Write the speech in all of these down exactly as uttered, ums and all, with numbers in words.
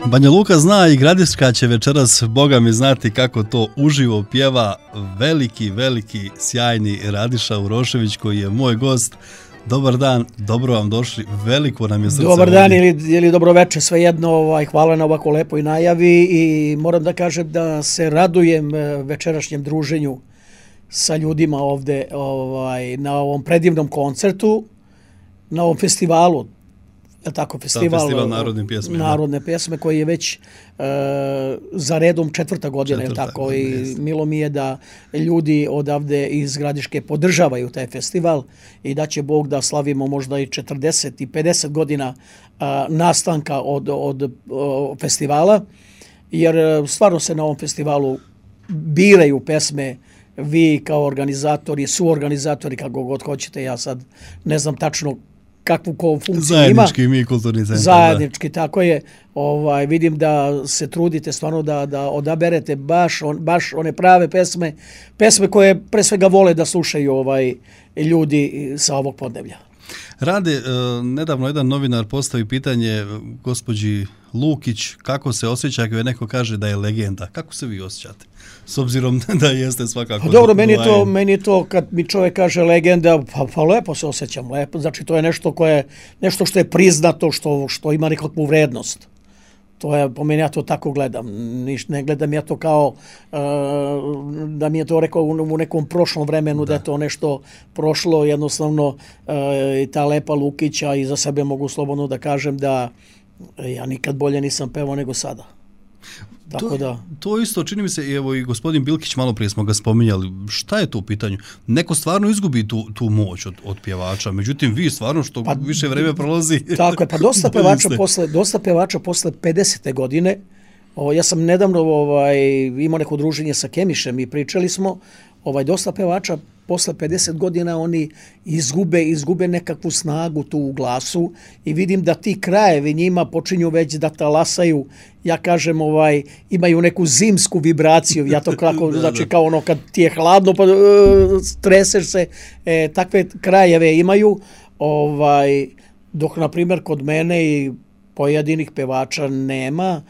Banja Luka zna i Gradiška će večeras, Boga mi, znati kako to uživo pjeva veliki, veliki, sjajni Radiša Urošević koji je moj gost. Dobar dan, dobro vam došli, veliko nam je srce. Dobar dan ili, ili dobro večer, svejedno, ovaj, hvala na ovako lepoj najavi i moram da kažem da se radujem večerašnjem druženju sa ljudima ovde ovaj, na ovom predivnom koncertu, na ovom festivalu. Tako, festival, festival narodne pjesme, narodne pjesme koji je već e, za redom četvrta godina, četvrta, tako, i jest. Milo mi je da ljudi odavde iz Gradiške podržavaju taj festival i da će Bog da slavimo možda i četrdeset i pedeset godina a, nastanka od, od o, festivala, jer stvarno se na ovom festivalu biraju pesme. Vi kao organizatori, suorganizatori, kako god hoćete, ja sad ne znam tačno kakvu ko funkciju zajednički ima. Mi kulturni centar. Zajednički, da. Tako je. Ovaj, vidim da se trudite stvarno da, da odaberete baš, on, baš one prave pesme, pesme koje pre svega vole da slušaju ovaj, ljudi sa ovog podneblja. Rade, nedavno jedan novinar postavi pitanje gospođi Lukić kako se osjeća ako je neko kaže da je legenda. Kako se vi osjećate? S obzirom da jeste svakako... Dobro, meni to, meni to kad mi čovjek kaže legenda, pa, pa lepo se osjećam, lepo. Znači to je nešto koje, nešto što je priznato, što, što ima nekakvu vrednost. To je, po meni ja to tako gledam. Niš, ne gledam ja to kao uh, da mi je to rekao u nekom prošlom vremenu, da, da je to nešto prošlo. Jednostavno uh, i ta lepa Lukića i za sebe mogu slobodno da kažem da ja nikad bolje nisam pevao nego sada. Tako to, da. To isto čini mi se, evo i gospodin Bilkić, malo prije smo ga spominjali, šta je to u pitanju? Neko stvarno izgubi tu, tu moć od, od pjevača, međutim vi stvarno što pa, više vreme prolazi... Tako je, pa dosta pevača, posle, dosta pevača posle pedesete godine, o, ja sam nedavno ovaj, imao neko druženje sa Kemišem i pričali smo, ovaj, dosta pevača posle pedeset godina oni izgube, izgube nekakvu snagu tu u glasu i vidim da ti krajevi njima počinju već da talasaju, ja kažem, ovaj, imaju neku zimsku vibraciju, ja to kako, da, znači da. Kao ono kad ti je hladno pa uh, treseš se, e, takve krajeve imaju, ovaj, dok na primjer kod mene i pojedinih pevača nema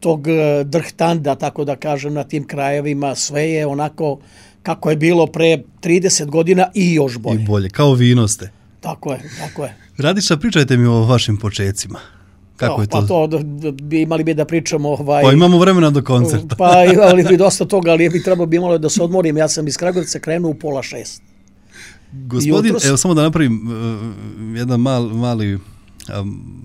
tog drhtanda, tako da kažem, na tim krajevima, sve je onako kako je bilo pre trideset godina i još bolje. I bolje, kao vino ste. Tako je, tako je. Radiša, pričajte mi o vašim počecima. Kako no, je to? Pa to bi imali bi da pričamo... Ovaj, pa imamo vremena do koncerta. Pa imali bi dosta toga, ali bi trebalo bi imalo da se odmorim. Ja sam iz Kragujevca krenuo u pola šest. Gospodin, jutros... evo samo da napravim uh, jedan mal, mali... Um,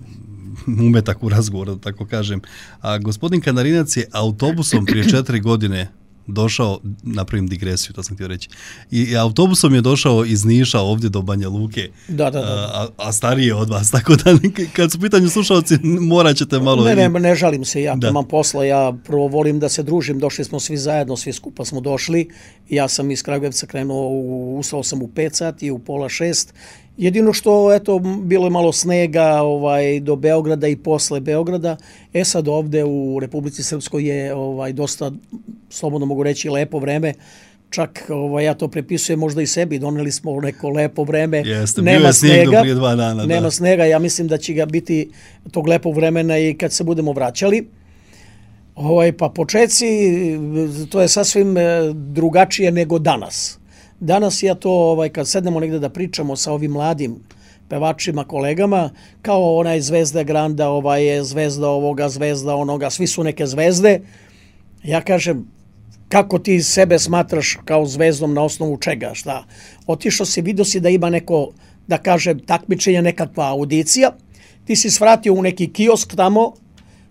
umetak u razgovoru, da tako kažem. A gospodin Kanarinac je autobusom prije četiri godine došao, napravim digresiju, to sam htio reći, i autobusom je došao iz Niša ovdje do Banja Luke, da, da, da. A, a stariji je od vas, tako da kad su pitanju slušalci morat ćete malo... Ne, ne, ne žalim se, ja imam posla, ja prvo volim da se družim, došli smo svi zajedno, svi skupa smo došli, ja sam iz Kragujevca krenuo, ustao sam u pet sati, u pola šest. Jedino što, eto, bilo je malo snega ovaj, do Beograda i posle Beograda. E sad ovde u Republici Srpskoj je ovaj, dosta, slobodno mogu reći, lepo vreme. Čak ovaj, ja to prepisujem možda i sebi. Doneli smo neko lepo vreme. Jeste, nema bio je snega, prije dva dana. Nema da. snega. Ja mislim da će ga biti tog lepog vremena i kad se budemo vraćali. Ovaj, pa počeci, to je sasvim drugačije nego danas. Danas ja to, ovaj, kad sednemo negde da pričamo sa ovim mladim pevačima, kolegama, kao onaj Zvezda Granda, ovaj je zvezda ovoga, zvezda onoga, svi su neke zvezde. Ja kažem, kako ti sebe smatraš kao zvezdom na osnovu čega, šta? Otišao si, vidio si da ima neko, da kažem, takmičenje, nekakva audicija, ti si svratio u neki kiosk tamo,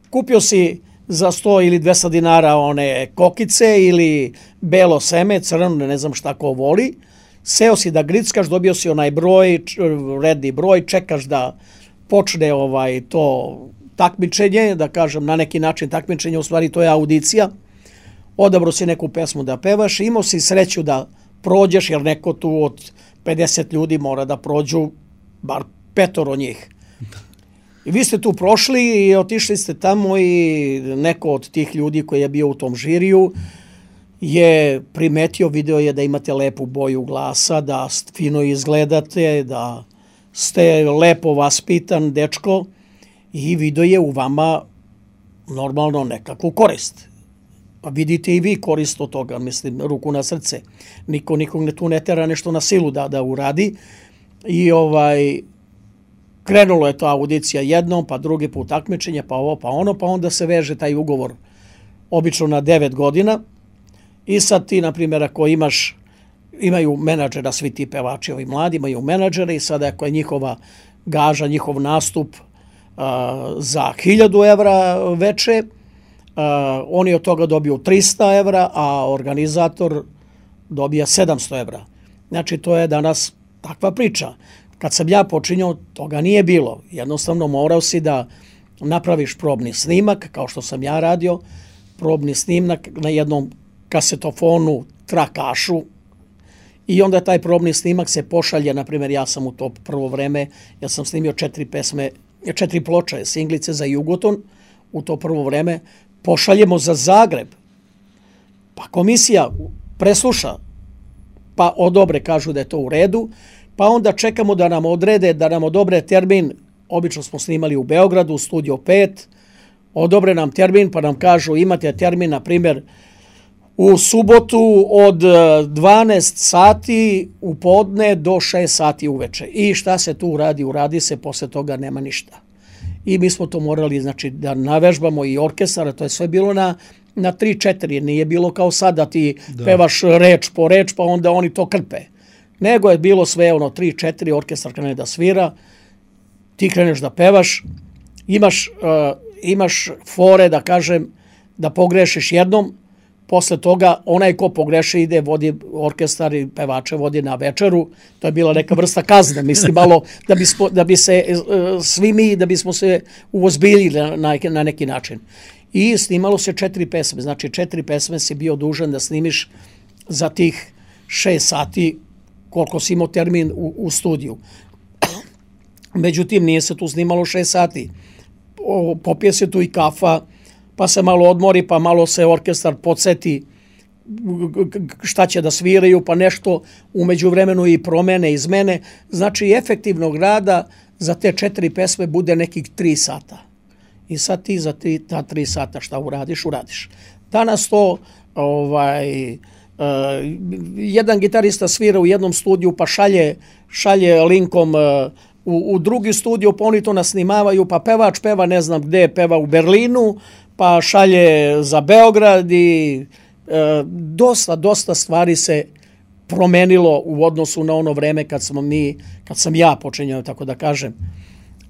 kupio si za sto ili dvesta dinara one kokice ili belo seme, crno, ne znam šta ko voli. Seo si da grickaš, dobio si onaj broj, redni broj, čekaš da počne ovaj to takmičenje, da kažem na neki način takmičenje, u stvari to je audicija. Odabro si neku pesmu da pevaš, imao si sreću da prođeš, jer neko tu od pedeset ljudi mora da prođu, bar petoro njih. I vi ste tu prošli i otišli ste tamo i neko od tih ljudi koji je bio u tom žiriju je primetio, video je da imate lepu boju glasa, da fino izgledate, da ste lepo vaspitan dečko i video je u vama normalno nekakvu korist. Pa vidite i vi korist od toga, mislim, ruku na srce. Niko nikog ne tu ne tera nešto na silu da, da uradi. I ovaj, krenulo je to audicija jednom, pa drugi put takmičenje, pa ovo, pa ono, pa onda se veže taj ugovor obično na devet godina. I sad ti, na primjer, ako imaš, imaju menadžera, svi ti pevači, ovi mladi imaju menadžere i sada ako je njihova gaža, njihov nastup a, za hiljadu evra veče, a, oni od toga dobiju trista evra, a organizator dobija sedamsto evra. Znači, to je danas takva priča. Kad sam ja počinjao, toga nije bilo. Jednostavno morao si da napraviš probni snimak, kao što sam ja radio, probni snimak na jednom kasetofonu, trakašu, i onda taj probni snimak se pošalje, na primjer, ja sam u to prvo vreme, ja sam snimio četiri pesme, četiri ploče, singlice za Jugoton, u to prvo vreme, pošaljemo za Zagreb, pa komisija presluša, pa odobre, kažu da je to u redu, pa onda čekamo da nam odrede, da nam odobre termin, obično smo snimali u Beogradu, u Studio pet, odobre nam termin, pa nam kažu imate termin, na primjer, u subotu od dvanaest sati u podne do šest sati uveče. I šta se tu uradi? Uradi se, posle toga nema ništa. I mi smo to morali, znači, da navežbamo i orkestar, to je sve bilo na, na tri četiri, nije bilo kao sad da ti da. pevaš reč po reč, pa onda oni to krpe. Nego je bilo sve ono tri četiri, orkestar krene da svira, ti kreneš da pevaš, imaš, uh, imaš fore, da kažem, da pogrešiš jednom, posle toga onaj ko pogreši ide, vodi orkestar i pevače vodi na večeru. To je bila neka vrsta kazne, mislim, malo da bi, spo, da bi se uh, svi mi, da bismo se uozbiljili na, na neki način. I snimalo se četiri pesme, znači četiri pesme si bio dužan da snimiš za tih šest sati koliko si imao termin u, u studiju. Međutim, nije se tu snimalo šest sati. O, popije se tu i kafa, pa se malo odmori, pa malo se orkestar podsjeti šta će da sviraju, pa nešto umeđu vremenu i promene, izmene. Znači, efektivnog rada za te četiri pesme bude nekih tri sata. I sad ti za tri, ta tri sata šta uradiš, uradiš. Danas to, ovaj, uh, jedan gitarista svira u jednom studiju, pa šalje, šalje linkom uh, u, u drugi studio, pa oni to nasnimavaju, pa pevač peva ne znam gde, peva u Berlinu, pa šalje za Beograd i e, dosta, dosta stvari se promenilo u odnosu na ono vreme kad smo mi, kad sam ja počinjao, tako da kažem.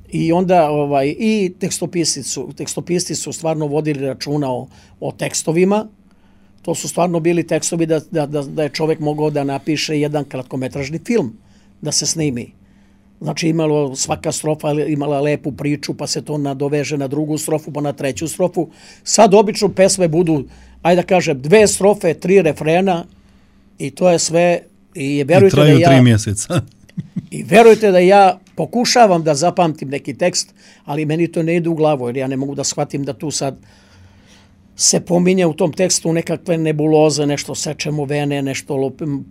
I onda ovaj, i tekstopisci su, tekstopisci su stvarno vodili računa o, o tekstovima. To su stvarno bili tekstovi da, da, da, da je čovjek mogao da napiše jedan kratkometražni film, da se snimi. Znači, imalo, svaka strofa imala lepu priču, pa se to nadoveže na drugu strofu, pa na treću strofu. Sad obično pesme budu, ajde da kažem, dve strofe, tri refrena i to je sve. I, verujte I traju da ja, tri mjeseca. I verujte da ja pokušavam da zapamtim neki tekst, ali meni to ne ide u glavu, jer ja ne mogu da shvatim da tu sad se pominje u tom tekstu nekakve nebuloze, nešto sečemo vene, nešto lopim,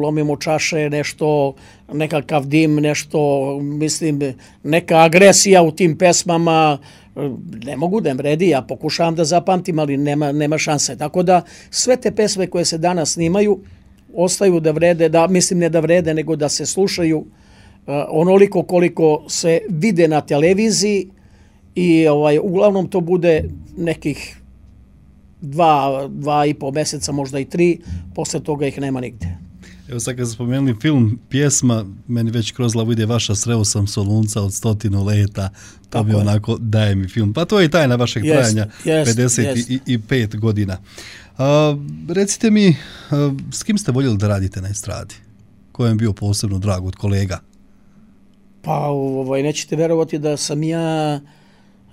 lomimo čaše, nešto, nekakav dim, nešto, mislim, neka agresija u tim pesmama. Ne mogu da im vredi, ja pokušavam da zapamtim, ali nema, nema šanse. Tako da sve te pesme koje se danas snimaju ostaju da vrede, da, mislim ne da vrede, nego da se slušaju uh, onoliko koliko se vide na televiziji i ovaj, uglavnom to bude nekih dva, dva i po mjeseca, možda i tri, posle toga ih nema nigde. Evo sad kad ste spomenuli film, pjesma, meni već kroz glavu ide vaša Sreo sam Solunca od stotinu leta, to tako bi onako daje mi film. Pa to je i tajna vašeg jest, trajanja, jest, pedeset pet godina. A, recite mi, a, s kim ste voljeli da radite na estradi? Ko je bio posebno drag od kolega? Pa ovaj, nećete verovati da sam ja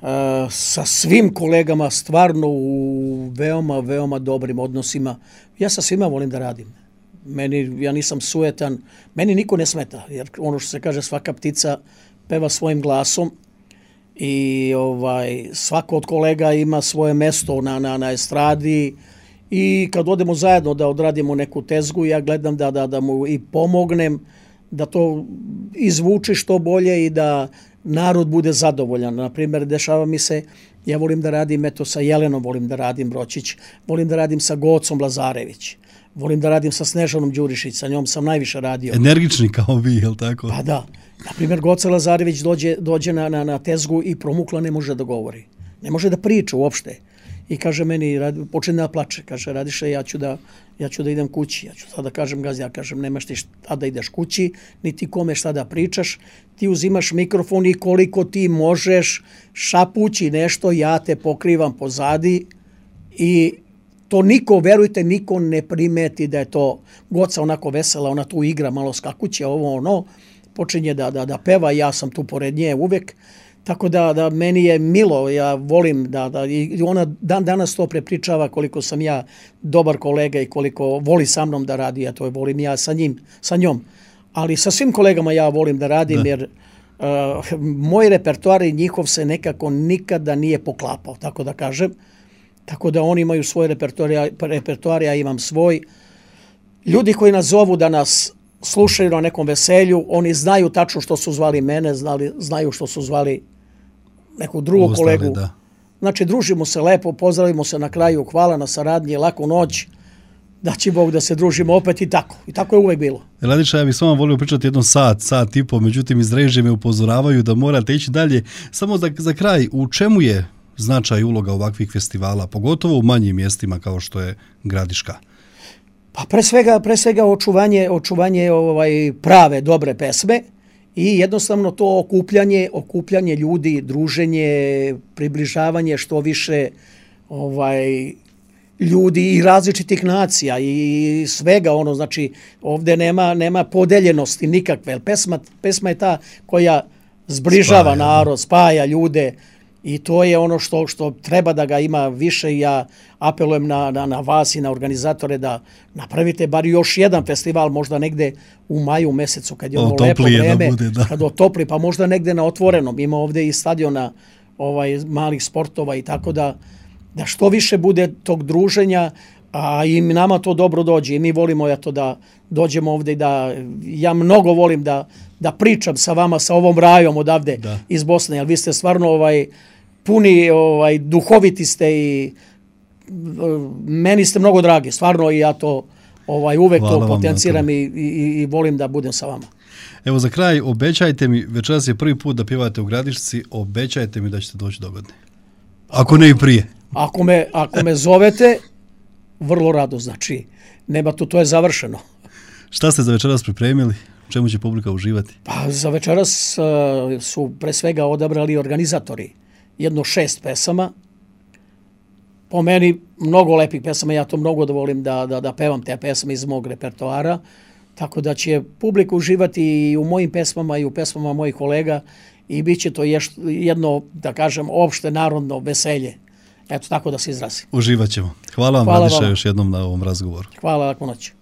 a, sa svim kolegama stvarno u veoma, veoma dobrim odnosima. Ja sa svima volim da radim. Meni, ja nisam sujetan, meni niko ne smeta, jer ono što se kaže, svaka ptica peva svojim glasom i ovaj, svako od kolega ima svoje mesto na, na, na estradi i kad odemo zajedno da odradimo neku tezgu, ja gledam da, da, da mu i pomognem, da to izvuči što bolje i da narod bude zadovoljan. Naprimjer, dešava mi se, ja volim da radim eto sa Jelenom, volim da radim Bročić, volim da radim sa Gocom Lazarević, volim da radim sa Snežanom Đurišić, sa njom sam najviše radio. Energični kao vi, je li tako? Pa da. Naprimjer, Goca Lazarević dođe, dođe na, na, na tezgu i promukla ne može da govori. Ne može da priča uopšte. I kaže meni, počne da plače, kaže Radiše, ja ću da, ja ću da idem kući. Ja ću sada kažem Gazi, ja kažem, nemaš ti šta da ideš kući, niti kome šta da pričaš. Ti uzimaš mikrofon i koliko ti možeš šapući nešto, ja te pokrivam pozadi i to niko, verujte, niko ne primeti da je to Goca onako vesela, ona tu igra malo skakuće, ovo ono, počinje da, da, da peva, ja sam tu pored nje uvek. Tako da, da meni je milo, ja volim da, da i ona dan danas to prepričava koliko sam ja dobar kolega i koliko voli sa mnom da radi, a to je volim ja sa njim, sa njom. Ali sa svim kolegama ja volim da radim, da. Jer uh, moj repertoar i njihov se nekako nikada nije poklapao, tako da kažem. Tako da oni imaju svoj repertoar, repertoar, ja imam svoj. Ljudi koji nas zovu da nas slušaju na nekom veselju, oni znaju tačno što su zvali mene, znali, znaju što su zvali nekog drugog Ostali, kolegu. Da. Znači, družimo se lepo, pozdravimo se na kraju, hvala na saradnji, laku noć, da će Bog da se družimo opet i tako. I tako je uvek bilo. Radiša, ja bih s vama volio pričati jednom sat, sat i po, međutim iz režije me upozoravaju da morate ići dalje. Samo za, za kraj, u čemu je značaj i uloga ovakvih festivala, pogotovo u manjim mjestima kao što je Gradiška? Pa pre svega, pre svega očuvanje, očuvanje ovaj, prave, dobre pesme i jednostavno to okupljanje, okupljanje ljudi, druženje, približavanje što više ovaj, ljudi i različitih nacija i svega ono, znači ovdje nema, nema podeljenosti nikakve. Pesma, pesma je ta koja zbližava spaja, narod, spaja ljude. I to je ono što što treba da ga ima više. Ja apelujem na, na, na vas i na organizatore da napravite bar još jedan festival, možda negde u maju mesecu kad je ono lepo vreme, da bude, da. Kad otopli, pa možda negde na otvorenom. Ima ovdje i stadiona ovaj, malih sportova i tako da, da što više bude tog druženja, a i nama to dobro dođe i mi volimo ja to da dođemo ovdje i da ja mnogo volim da da pričam sa vama, sa ovom rajom odavde da. Iz Bosne, jer vi ste stvarno ovaj puni, ovaj duhoviti ste i meni ste mnogo dragi, stvarno i ja to ovaj uvek Hvala to potenciram i, i, i volim da budem sa vama. Evo za kraj, obećajte mi, večeras je prvi put da pjevate u Gradišci, obećajte mi da ćete doći dogodine. Ako ne i prije. Ako me, ako me zovete, vrlo rado, znači, nema tu, to je završeno. Šta ste za večeras pripremili? Čemu će publika uživati? Pa za večeras uh, su pre svega odabrali organizatori jedno šest pesama. Po meni mnogo lepih pesama, ja to mnogo da volim da, da, da pevam te pesme iz mog repertoara, tako da će publika uživati i u mojim pesmama i u pesmama mojih kolega i bit će to ješ, jedno, da kažem, opšte narodno veselje. Eto, tako da se izrazi. Uživat ćemo. Hvala vam, Radiša, još jednom na ovom razgovoru. Hvala, laku noć.